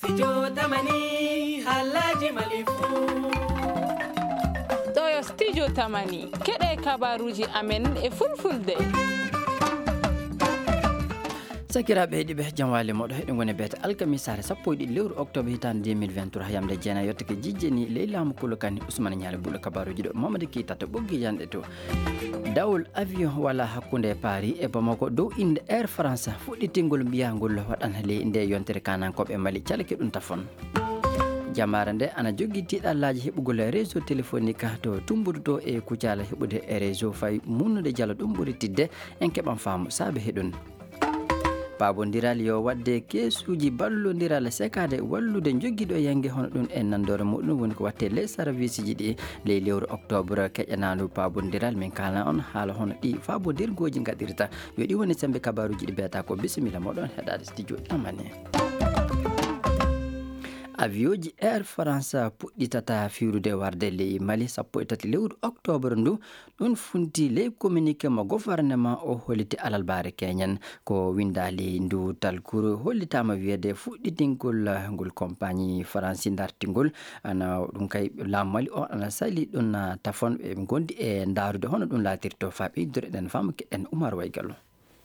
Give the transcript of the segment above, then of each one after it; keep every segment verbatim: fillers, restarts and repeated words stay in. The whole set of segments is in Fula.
Studio Tamani, halaji Mali fu. Ɗo yo Studio Tamani, keɗe kabaruji amen e fulfulde. Sakiraaɓe heɗiiɓe, jam waali moɗo heɗo ngoni beete alkamisaare sappo e ɗiɗi lewru octobre hitaande deux mille vingt-trois, yamde jeena yottake jijjeni ley laamu Kolo Kani Usmane Ñaali Buɗo kabaruji ɗo Mamadi Keita to ɓoggi janɗe to. Dawol avion wala hakkunde Paris e Bamako dow innde Air France fuɗɗitingol mbiyangol waɗan ley nde yontere kanankooɓe Mali calake ɗum tafon. Jamaare nde ana jogii tiiɗallaaji heɓugol réseau téléphonique to tumbudu to e kucala heɓude réseau fay munnude jalo ɗum ɓuri tidde en keɓan faamu saabe heɗun. Paabondiral yo waɗde keesuuji ballondiral sekaade wallude jogiiɗo yannge hono ɗum e nanndoore muɗum woni ko waɗte les serviceji ɗi ley lewru octobre keƴanaandu paabondiral. Min kaalna on haala hono ɗi faabondirgooji ngaɗirta. Yo ɗi woni sembe kabaruuji ɗi beeta ko bisimilla moɗon heɗaade studio Tamani. Avion ji Air France puɗɗitata fiirude warde ley Mali sappo e tati lewru octobre ndu. Ɗum funti ley communiqué mo gouvernement o holliti alalbaare keñen. Ko winndaali ndu talkuru hollitaama wiyeede fuɗɗitingol ngol compagnie Faransi dartingol. Ana ɗum kay laamu Mali o ana sali ɗum tafon ɓe ngondi e ndaarude hono ɗum laatirto faa ɓeydore ɗen faamu keɗen Umar Waygallo.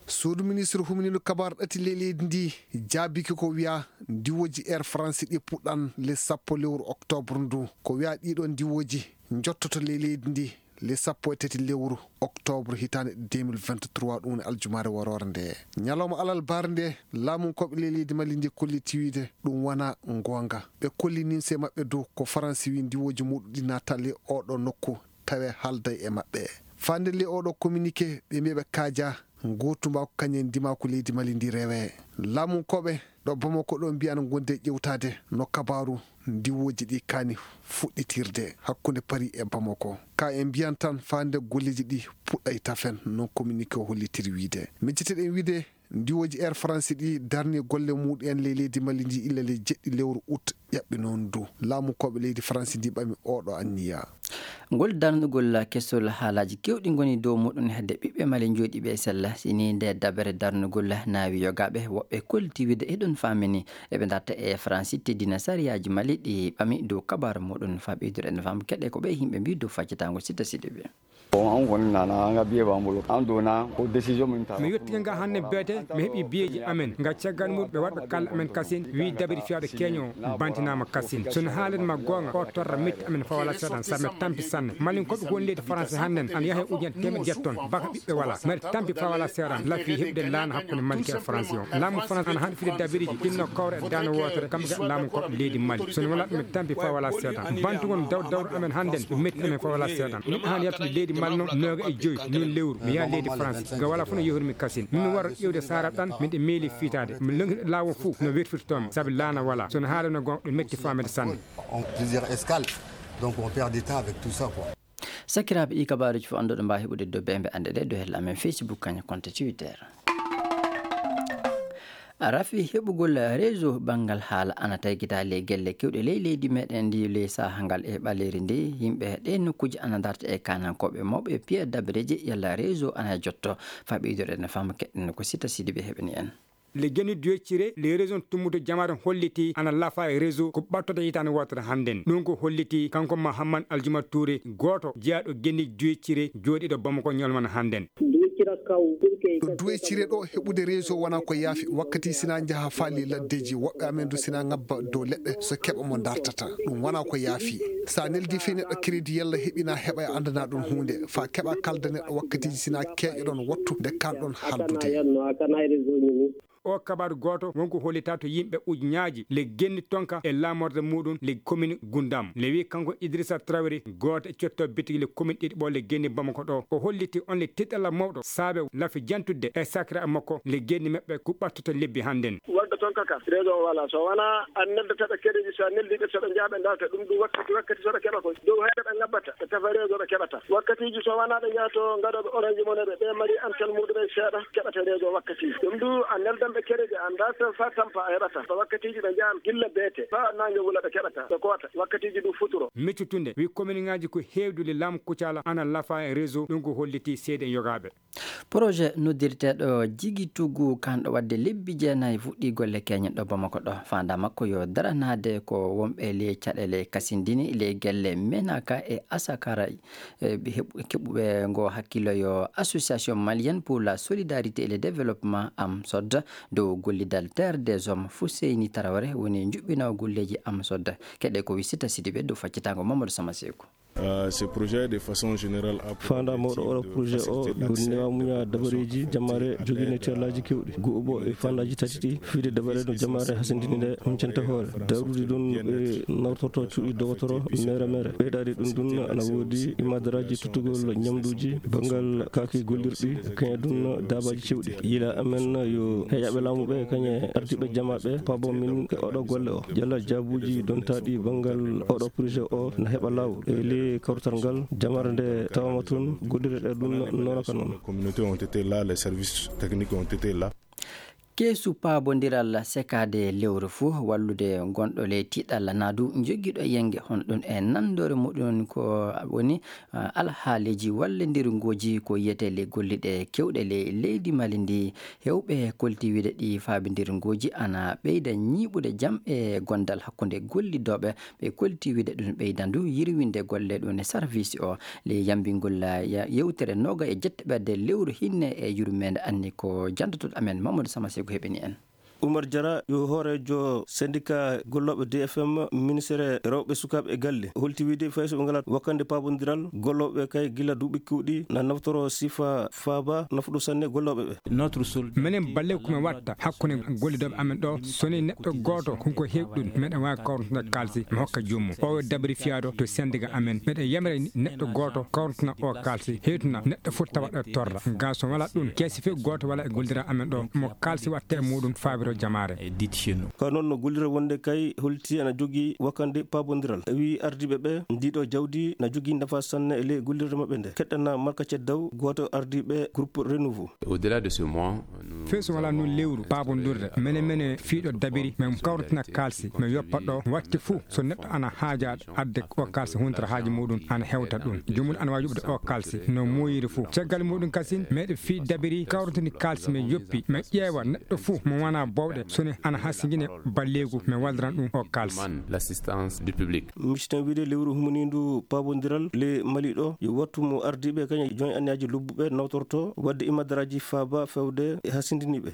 Suudu ministre humniiɗo kabaar ɗati ley leydi ndi jaabiki ko wiya ndiwooji Air France ɗi puɗɗan le sappo lewru octobre ndu. Ko wiya ɗiɗo ndiwooji njottoto ley leydi ndi le sappo e tati lewru octobre hitaande deux mille vingt-trois, ɗum woni aljumaare waroore nde. Ñalawma alalbaare nde, laamunkooɓe ley leydi Mali ndi kolliti wiide ɗum wona ngoonga. Ɓe kolli nimse maɓɓe dow ko Faransi wi ndiwooji muɗum ɗi natta ley oɗo nokku tawe haalday e maɓɓe. Faande ley oɗo communiqué, ɓe mbiya ɓe kaaja ngootu mbaako kañum e ndimaaku leydi Mali ndi rewe. Laamunkooɓe ɗo Bamako ɗo mbiya ana ngondi e ƴewtaade no kabaaru ndiwooji ɗi kaani fuɗɗitirde hakkunde Paris e Bamako. Ka en mbiyan tan faande golleeji ɗi puɗɗay tafen, non communiqué o hollitiri wiide. Micciteɗen wiide ndiwooji Air France ɗi darni golle muɗum en ley leydi Mali ndi illa ley jeɗɗi lewru août ƴaɓɓinoondu. Laamunkooɓe leydi France ndi ɓami oɗo anniya. Ngol darnugol kesol haalaaji keewɗi ngoni dow muɗum hedde ɓiɓɓe Mali jooɗiiɓe e sella. Si ni nde dabere darnugol naawi yogaaɓe, woɓɓe kolliti wiide eɗon faamini eɓe darta e France teddina sariyaaji Mali ɗi ɓami dow kabaaru muɗum faa ɓeydude en faamu keɗe ko ɓe yimɓe mbii dow faccitaango Sita Sidibe. Bon, an kɔni nana, an ka billet b'an bolo. An donna ko décision min ta. Mi yettii nga hannde beete, mi heɓi biyeeji amen. Nga caggal mum, ɓe waɗɓe kala amen kasin, wi dabiri fiyaaɗo keño, bantinaama kasin. So no haalin ma goonga, o torra metti amen fawala seeɗan, sabu mi tampi sanne. Malin ko ɓe woni leydi France hannden, ana yaha e ujunere teemeɗɗe jeetati ton, baka ɓiɓɓe wala. Mbeɗa tampi fawala seeɗan, lafi heɓude laana hakkunde Mali e France o. Laamu France ana haɗi fide dabiriji, ɗin no kawra e daande wootere, kam ga laamu ko leydi Mali. So no wala ɗum, mi tampi fawala seeɗan. Bantugol dawr dawr amen hannden, ɗum metti amen fawala seeɗan. Miɗo haani yaltude leydi Mali noon, nooga e joyi, noon lewru. Mi yaha leydi France. Nga wala fof no yehormi kasin. Min mi wara ƴeewde Sara ɗan, miɗo meeli fiitaade. Mi lonngita laawol fof no werfirtoo mi, sabi laana wala. So no haala no goonga, ɗum metti faamede sanne. On plusieurs escales, donc on perd du temps avec tout ça, quoi. Sakiraaɓe, ɗi kabaaruuji fof annduɗo mbaawi heɓude dow bembe annde ɗe dow hella amen Facebook, kañum konto Twitter. Rafi heɓugol réseau banngal haala ana taygita ley gelle kewɗe ley leydi meɗen ndi ley saha ngal e ɓaleeri ndi. Yimɓe ɗe nokkuuji ana darta e kanankooɓe mawɓe piya dabareeji yalla réseau ana jotto. Faa ɓeydude no fama keɗen ko Sita Sidibe heɓani en. Le Geni Duecire, le réseau tummuto jamaare holliti ana lafa e réseau ko ɓattoto hitaande wootere hannden. Ɗum ko holliti kanko Mahamman Aljuma Touré, gooto jeyaaɗo Geni Duecire jooɗiiɗo Bamako ñolmana hannden. Ɗo duwecire ɗo heɓude réseau wona ko yaafi. Wakkati sina njaha faali laddeji, woɓɓe amen du sina ngabba dow leɗɗe so keɓa mo dartata. Ɗum wona ko yaafi. Sa neldi fii neɗɗo crédit yalla heɓina heɓa e andana ɗum huunde. Fa keɓa kalda neɗɗo wakkatiji sina keeƴoɗon wattu nde kanɗon haldude. O kabaru gooto wonko hollita to yimɓe ujuñaaji le genni tonka e laamorde muɗum le commune Gundam. Le wi kanko Idrissa Traoré, gooto e cotto bitigi le commune ɗiɗi ɓo le genni Bamako ɗo. O holliti on le tiɗɗalla mawɗo saabe lafi jantudde e sakira makko le genni maɓɓe ko ɓattoto lebbi hannden. Wonde tonka ka, réseau o wala. So wona an neldata ɓe keɗeji, so a neldi ɓe, so ɓe njaha ɓe darta, ɗum ɗum wakkati, wakkati so ɓe keɓa koy. Dow hayre ɓe ngabbata, ɓe tafa réseau ɓe keɓata. Wakkatiji so wona ɓe njaha to ngaɗoɓe Orange Money ɓe, ɓe mari antel muɗum e seeɗa, keɓata réseau wakkatiji. Ɗum du a neldan ɓe keɗeji, a darta fa tampa a heɓata. So wakkatiji ɓe njahan gilla beete, fa nange wula ɓe keɓata, ɓe koota. Wakkatiji du futuro. Miccutunde, wi commune ngaji ko heewdude laamu Kucala ana lafa e réseau, ɗum ko holliti seede yogaɓe. Projet noddirteeɗo Jigi Tugu, kanɗo waɗde lebbi jeenayi fuɗɗiigol Le keñen ɗo Bamako ɗo, faanda makko yo daranaade ko wonɓe ley caɗeele kasindini ley gelle Menaka e Asakara, e ɓe heɓ-, keɓuɓe ngo hakkillo yo Association Malienne pour la Solidarité et le Développement, AMSOD, dow gollidal Terre des Hommes, Fousseini Traoré woni njuɓɓinoowo golleeji AMSOD. Keɗe ko Wisita Sidibe dow faccitango Mamadou Samaseku. Euh, ce projet, de façon générale, a pour faanda mawɗo objectif oɗo de projet o faciliter la woni coopération newa muña entre dabareeji jamaare jogii nettiyallaji kewɗi. Gu'uɓo e faandaaji tati ɗi, fiide dabare no jamaare hasindini nde huncanta hoore. Darudi ɗum ɓe nawtorto cuuɗi dogotoro mere mere. Ɓeydaade ɗum ɗum ana woodi imadaraaji tuttugol ñamduuji, banngal kaaki gollirɗi, kañe ɗum daabaaji cewɗi. Yila amen yo heƴaɓe laamu ɓe, kañe ardiiɓe jamaaɓe, paabo min e oɗo golle o. Jalla jaabuuji dontaaɗi banngal oɗo projet o na heɓa laawol. E ley kawrital ngal, jamare nde tawama toon, gollirɗe ɗum noon ka noon. Les communautés ont été là, les services techniques ont été là. Keesu paabondiral sekaade lewru fuu, wallude gonɗo ley tiiɗalla naa du jogiiɗo yenge hono ɗum e nanndore muɗum ko woni, ah, alhaaliiji wallondirngooji ko yiyetee ley golliɗe kewɗe ley leydi Mali ndi. Heewɓe kolti wiide ɗi faabindirngooji ana ɓeyda ñiiɓude jam e gondal hakkunde gollidooɓe. Ɓe kolti wiide ɗum ɓeydandu yirwinde golle ɗum e sarviisi o. Ley yambingol, ah, ya-, yewtere nooga e jettaɓerde lewru hinne e yurmeende anni ko janndotoɗo amen Mamadou Samaseku heɓini en. Oumar Diarra yo hooreejo syndicat gollooɓe D F M, ministere rewɓe, sukaaɓe e galle, holti wiide fay so ɓe ngalaa wakkande paabondiral, gollooɓe kay gila duuɓi kewɗi na naftoro sifa faaba nafuɗo sanne gollooɓe ɓe. Menen balle ko min watta hakkunde gollidooɓe amen ɗo, so ni neɗɗo gooto hunko heewi ɗum, meɗen waawi kawrande kaalisi mi hokka joomum. O dabri fiyaaɗo to sendiga amen. Meɗen yamira ni neɗɗo gooto kawrantana o kaalisi, hewtina neɗɗo fof tawa ɗo torra. Ga so wala ɗum, keesi fof gooto wala e gollidira amen ɗo, mo kaalisi watta e muɗum faabiro jamaare. Ko noon no gollira wonde kay holti ana jogii wakkande paabondiral. Wi ardiiɓe ɓe, ndiɗo jawdi na jogii nafa sanne e ley gollirde maɓɓe nde. Keɗɗana Marka Ceddaw, gooto ardiiɓe groupe Renouveau. Au-delà de ce mois, nous Fii so wala avons nun lewru décidé paabondirde, mene mene fiiɗo dabiri, men kawritina kaalisi, men yoppa ɗo, watti fuu, so neɗɗo ana haaja adde o kaalisi huntata haaji muɗum, ana hewta ɗum. Jomum ana waawi yuɓde o kaalisi, no moyiri fuu. Caggal muɗum kasin, meɗe fii dabiri, kawritini kaalisi, men yoppi, men ƴeewa neɗɗo fuu, mo wona bowɗe, so ni ana hasingine balleegu, men walliran ɗum o kaalisi. Demande l'assistance du public. Misitan wiide lewru humaniindu paabondiral le Mali ɗo, yo wattu mo ardiiɓe kañe joñ anniyaaji lobbuɓe nawtorto, wadde imadaraaji faaba fewde e hasindiniiɓe.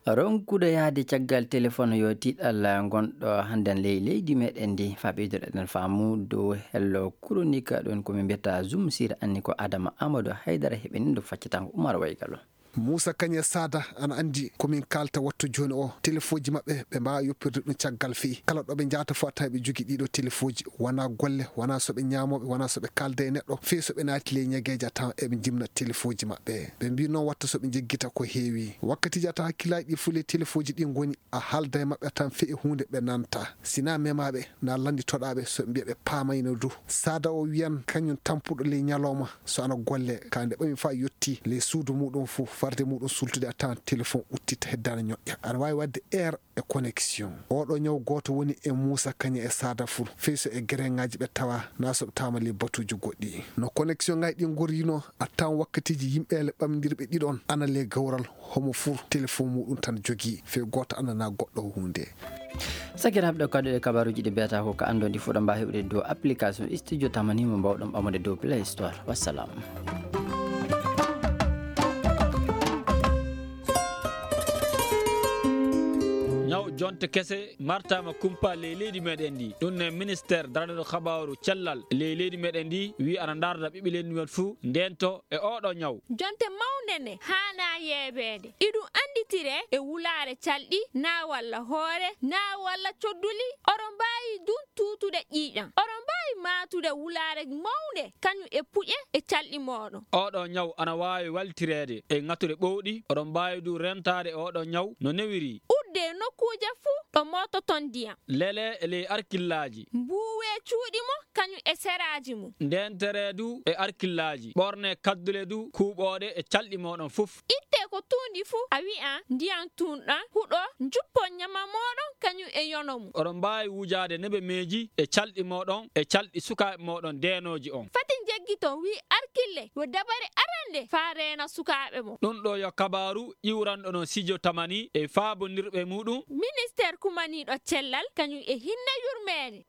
Ronkude yahde caggal telefon yo tiiɗal ngonɗo hannden ley leydi meɗen ndi. Faa ɓeydoɗen faamu dow hello kuronika ɗon ko min mbiyata Zoom sira anni ko Adama Amadou Haydara heɓini ɗo faccatango Umar Waygalo. Muusa Kañe Saada ana anndi ko min kaalta wattu jooni o. Telefoji maɓɓe ɓe mbaawa yoppirde ɗum caggal feyi. Kala ɗo ɓe njahata fof a tawa ɓe jogii ɗiɗo telefoji. Wonaa golle, wonaa so ɓe ñaamooɓe, wonaa so ɓe kaalda e neɗɗo. Feyi so ɓe naati ley ñageeje a tawa eɓe njimna telefoji maɓɓe. Ɓe mbii noon watta so ɓe njeggita ko heewi. Wakkatiiji a tawa hakkillaaji ɗi fof ley telefoji ɗi ngoni a haalda e maɓɓe a tan feyi huunde ɓe nanta. Sinaa memaaɓe na lannditoɗaaɓe so ɓe mbiya ɓe paamayno du. Saada o wiyan kañum tampuɗo ley ñalooma so ana golle ka nde ɓami faa yotti ley suudu muɗum fof farde muɗum sultude a tawan telefon uttita heddaana ñoƴƴa. Aɗa waawi waɗde heure e connexion. Oɗo ñaw gooto woni e Muusa Kañe e Saada Ful. Fey so e gereŋaaji ɓe tawa na so ɓe tawama ley batuuji goɗɗi. No connexion ŋaaji ɗi ngorrino a tawan wakkatiiji yimɓeele ɓamdirɓe ɗiɗon ana ley gawral. Homo fuu telefon muɗum tan jogii, fey gooto anndanaa goɗɗo huunde. Sakiraaɓe, ɗo kaɗuɗe kabaruuji ɗi mbiyata ko ka anndon ɗi fuɗa mbaa heɓude dow application Studio Tamani mo mbawɗon ɓamude dow Play Store. Wassalam. Ñaw jonte kese martama kumpa ley leydi meɗen ndi. Ɗum ne ministère daraniɗo kabaaru cellal ley leydi meɗen ndi wi ana ndarda ɓiɓɓe leydi men fuu ndento e oɗo ñaw. Jonte mawnde ne haanaa yeebeede. Iɗum annditire e wulaare calɗi, naa walla hoore, naa walla codduli. Oɗon mbaawi dun tuutude ƴiiƴam. Oɗon mbaawi maatude wulaare mawnde, kañum e puƴe e calɗi mooɗon. Oɗo ñaw ana waawi waltireede e ŋatuɗe ɓowɗi. Oɗon mbaawi du rentaade oɗo ñaw no newiri. Udde nokkuuje fuu ɗo moototon ndiyam. Lele e ley arkillaaji. Mbuuwe cuuɗi mo kañum e seraaji mum. Ndentere du e arkillaaji. Ɓorne kaddule du kuuɓooɗe e calɗi mooɗon fof. Itte ko tuundi fuu, a wi'a ndiyam tuunɗam, huɗo, njuppon ñama mooɗon kañum e yono mum. Oɗon mbaawi wujaade nebemeeji e calɗi mooɗon e calɗi sukaaɓe mooɗon deenooji on. Fati njeggiton, wi arkille, yo dabare arane. hannde faa reena sukaaɓe mum. Ɗum ɗo yo kabaaru iwranɗo no Sijo Tamani e faabondirɓe muɗum. Ministeer kumaniiɗo cellal kañum e hinne yurmeende.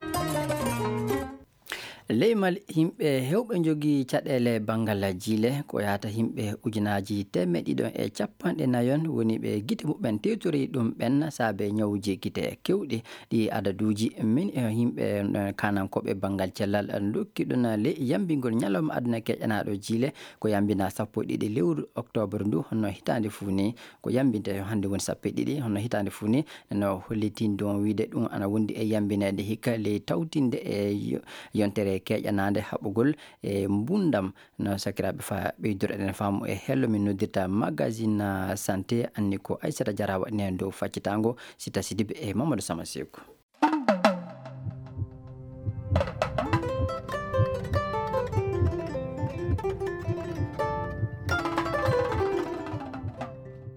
Leymal yimɓe heewɓe njogii caɗeele banngal jiile ko yahata yimɓe ujunaaji teemeɗɗe ɗiɗo e capanɗe nayon woni ɓe gite muɓɓen tewtori ɗum ɓen saabe ñawuuji gite keewɗi. Ɗi adaduuji min e yimɓe kanankooɓe banngal cellal ndokki ɗum ley yambingol ñalawma aduna keƴanaaɗo jiile ko yambina sappo e ɗiɗi lewru oktoobar ndu honno hitaande fuu ni ko yambinte hannde woni sappo e ɗiɗi honno hitaande fuu ni. No hollitin ɗum wiide ɗum ana wondi e yambineede hikka ley tawtinde e yo- yontere keƴanaande haɓugol e mbundam. No sakiraaɓe fa ɓeydoro eɗen faamu e hello min noddirta magazine santé anni ko Aissata Diarra waɗi heen dow faccitango Sita Sidibe e Mamadou Sama Seku.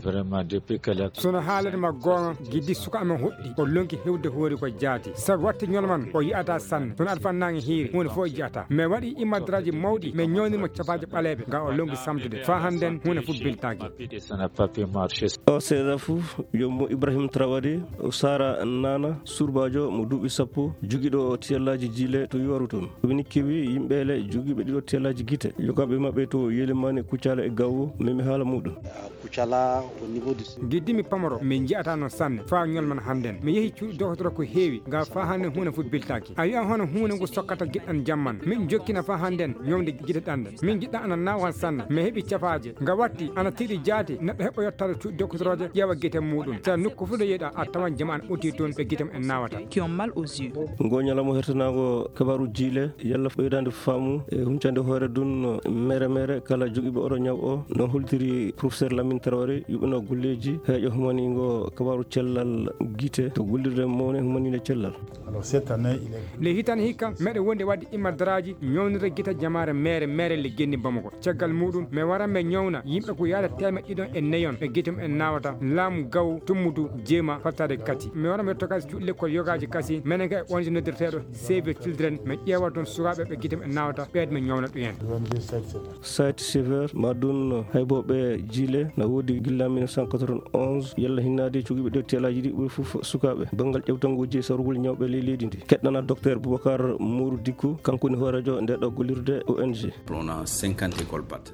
Vraiment depuis kala. Sono haalata ma goonga giddi suka amen hoɗɗi o lonki hewde hoori ko jaati sabu watte ñol man o yi'ata sanne sono aɗa fannaange hiiri huunde fof o jiyata mais waɗi immadraji mawɗi mais ñawnirmo cafaaji ɓaleeɓe nga o lonki samtude fa hannden huunde fof biltaaki. O seeɗa fof yommo Ibrahim Traoré o Sara Nana surbaajo mo duuɓi sappo jogiiɗo tiyallaaji jiile to Yooru toon. Woni kewi yimɓeele jogiiɓe ɗiɗo tiyallaaji gite yogaaɓe maɓɓe to Yelimani Kucala e Gawwo memi haala muɗum. Giddimi pamaro min nji'ata no sanne faa ñolman hannden mi yehi cuuɗi dokotoro ko heewi nga faa hannden huunde fof biltaaki a wi'an hono huunde ngu sokkata giɗɗan jamman min jokkina faa hannden ñomde gite ɗanɗe min giɗɗan ana naawal sanne mi heɓi cafaaje nga watti ana tiiɗi jaati neɗɗo heɓa yottaade cuuɗi dokotoroje ƴeewa gite muuɗum sa nokku fof ɗo yeeɗa a tawan jama ana ɓotti toon ɓe gite mum en naawata. Ngo ñalawma hertanaango kabaaru jiile yalla ɓeydaande faamu e huncande hoore dun mere mere kala jogiiɓe oɗo ñaw o no holtiri professeur Lamine Traoré yuɓino golleeji heeƴo humaniingo kabaaru cellal gite to gollirde mawne humaniinde cellal. Nde hitande hikka meɗe wondi wadde immadaraaji ñawnirde gite jamaare meere meere le genni Bamako caggal muɗum mi wara mi ñawna yimɓe ko yaada teemeɗɗe ɗiɗon e neyon ɓe gite mum en naawata laamu gaw tummudu jeema fattaade kati mi wara mi yetto kadi cuuɗi lekkol yogaaji kasi menen ka e O N G noddirteeɗo Save the Children mi ƴeewa toon sukaaɓe ɓe gite mum en naawata ɓeede mi ñawna ɗumen. Site sévère ma ɗum haybooɓe jiile na woodi gilla mille neuf cent quatre-vingt-onze yalla hinnaade cugiiɓe ɗo teelaaji ɗi ɓuri fof sukaaɓe banngal ƴewtangooji e sarugol ñawɓe ley leydi ndi keɗɗana docteur Boubacar Mourou Dickou kanko woni hooreejo nde ɗo gollirde O N G.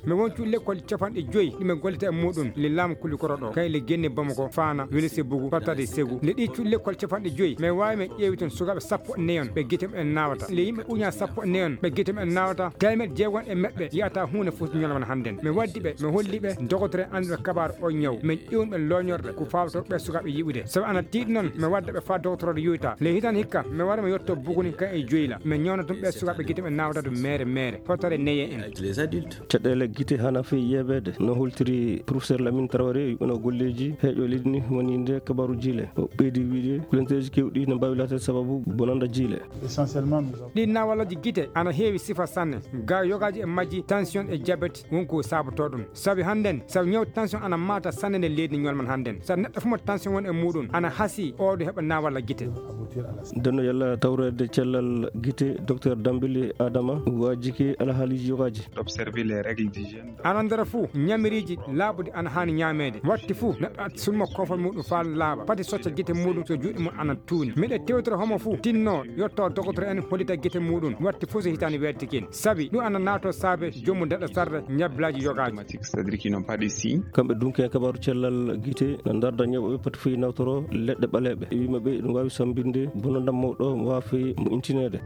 Mi won cuuɗi lekkol capanɗe joyi ɗi mi gollita e muɗum le laamu kulikoro ɗo kay le genne Bamako faana welese bugu fattade segu le ɗi cuuɗi lekkol capanɗe joyi mi waawi mi ƴeewi toon sukaaɓe sappo e neyon ɓe gite mum en naawata le yimɓe uña sappo e neyon ɓe gite mum en naawata teemeɗe jeegon e meɓɓe yiyata huunde fof ñalawma hannden mi waddi ɓe mi holli ɓe dogotore annduɓe kabaar o ñaw min ƴeewni ɓe looñorɗe ko fawto ɓe sukaaɓe yi'ude sabu ana tiiɗi noon mi wadda ɓe faa dogotoroɗo yoyta le hitan hikka mi wara mi yetto buguni kan e joyla mi ñawna ɗum ɓe sukaaɓe gite mum en naawata to meere meere fottare neye en. Caɗeele gite hana fii yeebeede no holtiri professeur Lamine Traoré yuɓɓino golleeji heeƴo leydi ndi woni nde kabaaru jiile o ɓeydi wiide kulenteeji keewɗi no mbaawi laataade sababu bonanda jiile. Ɗin naawalaaji gite ana heewi sifa sanne ga yogaaji e majji tension e diabète won ko saabotoo ɗum sabi hannden sabu ñaw tension ana maata sanne nde leydi ndi ñolman hannden sabu neɗɗo fof mo tension won e muɗum ana hasii oɗo heɓa naawalla gite. Ndenno yalla tawreede cellal gite docteur Dambili Adama waajike alhaaliiji yogaaji. D'observer les règles d'hygiène. Ana ndera fuu ñamiriiji laaɓuɗi ana haani ñaameede watti fuu neɗɗo atti sulmo koofal muɗum faa laaɓa pati socca gite muɗum so juuɗe mum ana tuuni miɗe tewtoro homo fuu tinno yetto dogotoro en hollita gite muɗum watti fuu so hitaande weettikin sabi ɗum ana naato saabe joomum daɗa sarde ñablaaji yogaaji. Kamɓe dunki en kabaaru cellal gite no ndarda ñawɓe pati fii nawtoro leɗɗe ɓaleeɓe e wima ɓe ɗum waawi sambinde bonandam mawɗo waafi mo intineede.